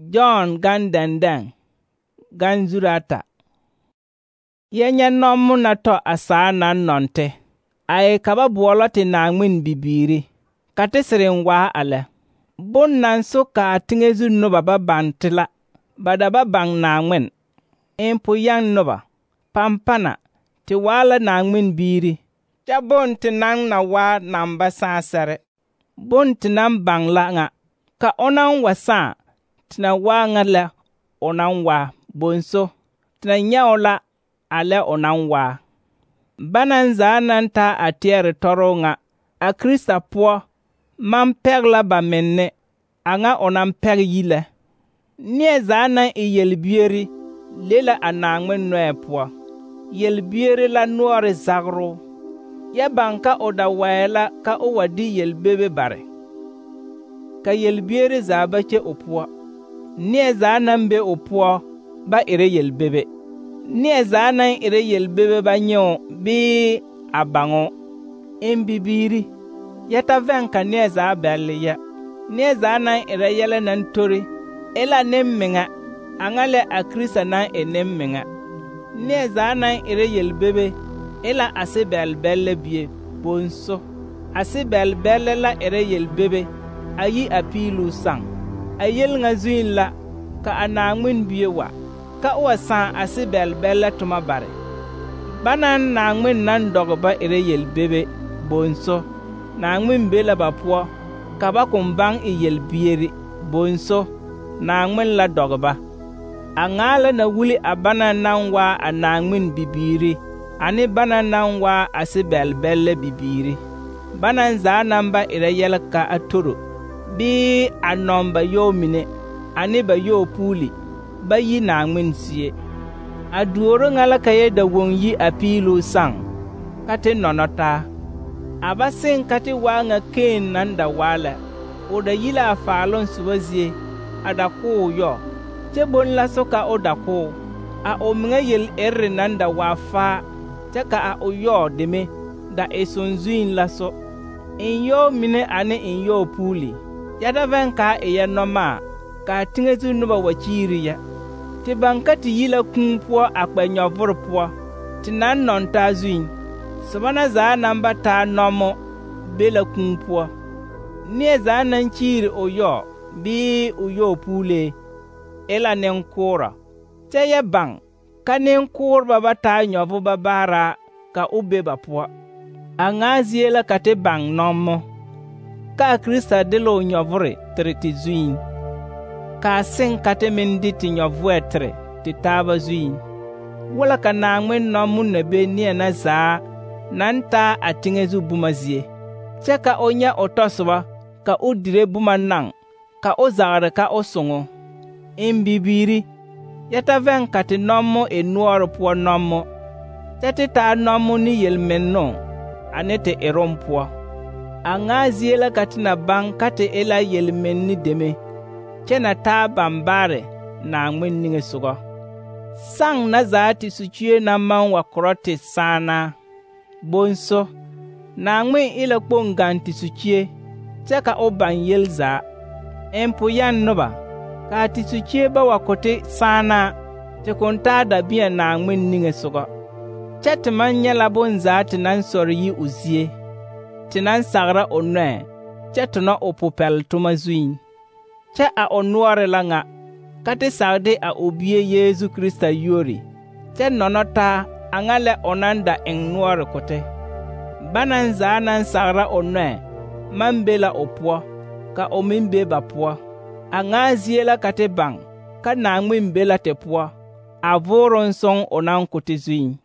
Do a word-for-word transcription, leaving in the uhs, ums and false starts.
John gan dɛndɛŋ gan zuri ata. Yɛ nyɛ nɔmmo na tɔ a saa naŋ nɔnte, a e ka ba boɔlɔ te Naŋmen bibiiri, ka te sereŋ waa a lɛ. Bon naŋ so ka a teŋɛ zu noba ba baŋ te la, ba da ba baŋ Naŋmen. Empo yɛŋ noba, pampana, te waa la Naŋmen biiri, kyɛ bon te naŋ na waa naŋ ba sãã sɛre. Bon te naŋ baŋ la ŋa, ka o naŋ wa sãã, te na waa ŋa lɛ o naŋ waa, bonso, te na nyɛ o la a lɛ o naŋ waa. Banaŋ zaa naŋ taa a teɛre tɔroo ŋa a Krista poɔ maŋ pɛg la ba menne a ŋa o naŋ pɛg yi lɛ. Neɛ zaa naŋ e yelbieri le la a Naŋmen nɔɛ poɔ. Yelbieri la noɔre zageroo, yɛ baŋ ka o da waɛ la ka o wa de yelbebe bare. Ka yelbieri zaa ba kye o poɔ. Neɛ zaa naŋ be o poɔ ba erɛ yelbebe. Neɛ zaa naŋ erɛ yelbebe ba nyɛ o bii a baŋ o. Em bibiiri, yɛ ta vɛŋ ka neɛ zaa bɛlle yɛ. Neɛ zaa naŋ erɛ yɛlɛ naŋ tori e la nemmeŋa, a ŋa lɛ a Krista naŋ e nemmeŋa. Neɛ zaa naŋ erɛ yelbebe e la a se-bɛl-bɛllɛ bie, bonso. A se-bɛl-bɛllɛ la erɛ yelbebe a yi a piiluu saŋ. A yel ŋa zuŋ la ka a Naŋmen bie wa, ka o wa sãã a se-bɛl-bɛllɛ toma bare. Banaŋ Naŋmen naŋ dɔge ba erɛ yelbebe, bonso. Naŋmen be la ba poɔ ka ba kõn baŋ e yelbieri, bonso. Naŋmen la dɔge ba. A ŋaa la na wuli a banaŋ naŋ waa a Naŋmen bibiiri ane banaŋ naŋ waa a se-bɛl-bɛllɛ bibiiri. Banaŋ zaa naŋ ba erɛ yɛlɛ ka a toro, bii a nɔŋ ba yɔɔ mine ane ba yɔɔ puuli, ba yi Naŋmen zie. A duoro ŋa la ka yɛ da woŋ yi a piiluu saŋ, ka te nɔnɔ taa. A ba seŋ ka te waa ŋa Keen naŋ da waa lɛ. O da yi la a faaloŋ soba zie a da ko o yɔ, kyɛ bon la so ka o da ko o. A o meŋa yel-erre naŋ da waa faa, kyɛ ka a o yɔɔ deme da e sonzuiŋ la so. En yɔɔ mine ane en yɔɔ puuli, yɛ ta vɛŋ kaa e yɛ nɔmaa, kaa teŋɛ zu noba wa kyiiri yɛ. Te baŋ ka te yi la kūū poɔ a kpɛ nyɔvore poɔ, te naŋ nɔŋ taa zuiŋ. Soba na zaa naŋ ba taa nɔmo be la kūū poɔ. Neɛ zaa naŋ kyiiri o yɔɔ bii o yɔɔ puulee e la nenkoorɔ, kyɛ yɛ baŋ ka nenkooreba ba taa nyɔvoba baaraa ka o be ba poɔ. A ŋaa zie la ka te baŋ nɔmmo, ka a Krista de la o nyɔvore tere te zuiŋ, kaa seŋ ka te meŋ de te nyɔvoɛ tere te taaba zuiŋ. Wala ka Naŋmen nɔmmo na be neɛ na zaa naŋ taa a teŋɛ zu boma zie, kyɛ ka o nyɛ o tɔsoba ka o dire boma naŋ, ka o zagere ka o soŋo. Em bibiiri, yɛ ta vɛŋ ka te nɔmmo e noɔre poɔ nɔmmo, kyɛ te taa nɔmmo ne yelmennoo ane te eroŋ poɔ. A ŋaa zie la ka te na baŋ ka te e la yelmenni deme, kyɛ na taa bambaare Naŋmen niŋesogɔ. Saŋ na zaa te sukue naŋ maŋ wa korɔ te sããnaa, bonso. Naŋmen e la kpoŋ gaŋ te sukue, kyɛ ka o baŋ yel zaa. Empo yɛŋ noba, kaa te sukue ba wa ko te sããnaa, te kõn taa dabeɛ Naŋmen niŋesogɔ. Kyɛ te maŋ nyɛ la bonzaa te naŋ sɔre yi o zie, te naŋ sagra o nɔɛ, kyɛ tonɔ o popɛl-toma zuiŋ. Kyɛ a o noɔre la ŋa, ka te sagde a o Bie Yeezu Krista yuori, kyɛ nɔnɔ taa a ŋa lɛ o naŋ da eŋ noɔre ko te. Banaŋ zaa naŋ sagra o nɔɛ maŋ be la o poɔ, ka o meŋ be ba poɔ. A ŋaa zie la ka te baŋ ka Naŋmen be la te poɔ, a vooroŋ soŋ o naŋ ko te zuiŋ.